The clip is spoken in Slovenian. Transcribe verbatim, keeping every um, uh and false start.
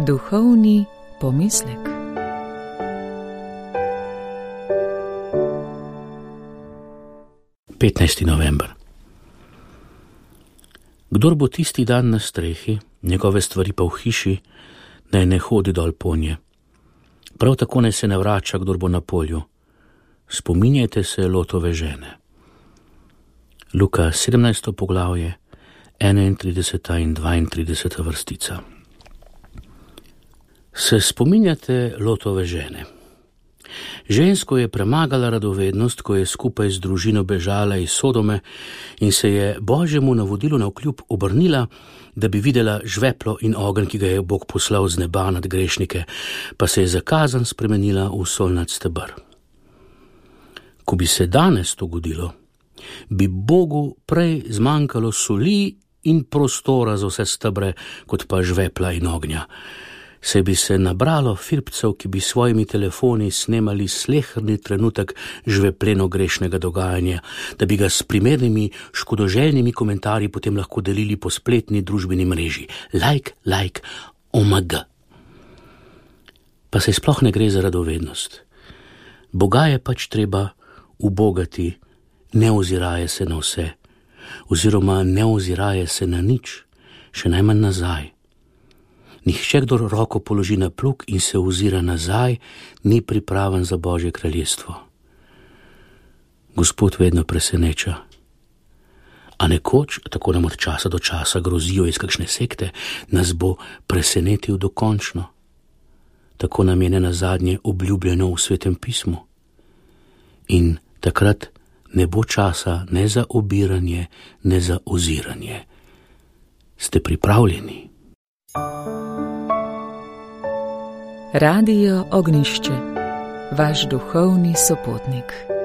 Duhovni pomislek. petnajsti november. Kdor bo tisti dan na strehi, njegove stvari pa v hiši, naj ne hodi dol ponje. Prav tako naj se ne vrača, kdor bo na polju. Spominjajte se Lotove žene. Luka sedemnajsto poglavje, enaintrideseta in dvaintrideseta vrstica. Se spominjate Lotove žene? Žensko je premagala radovednost, ko je skupaj z družino bežala iz Sodome in se je Božjemu navodilu navkljub obrnila, da bi videla žveplo in ogenj, ki ga je Bog poslal z neba nad grešnike, pa se je zakazan spremenila v solnat steber. Ko bi se danes to godilo, bi Bogu prej zmanjkalo soli in prostora za vse stebre, kot pa žvepla in ognja. Se bi se nabralo firpcev, ki bi svojimi telefoni snemali sleherni trenutek žvepleno grešnega dogajanja, da bi ga s primernimi škodoželjnimi komentarji potem lahko delili po spletni družbeni mreži. Like, like, omg. Pa se sploh ne gre za radovednost. Boga je pač treba ubogati, ne oziraje se na vse, oziroma ne oziraje se na nič, še najmanj nazaj. Nihče, kdor roko položi na plug in se ozira nazaj, ni pripraven za Božje kraljestvo. Gospod vedno preseneča. A nekoč, tako nam od časa do časa grozijo iz kakšne sekte, nas bo presenetil dokončno. Tako nam je nenazadnje obljubljeno v Svetem pismu. In takrat ne bo časa ne za obiranje, ne za oziranje. Ste pripravljeni? Radio Ognjišče, vaš duhovni sopotnik.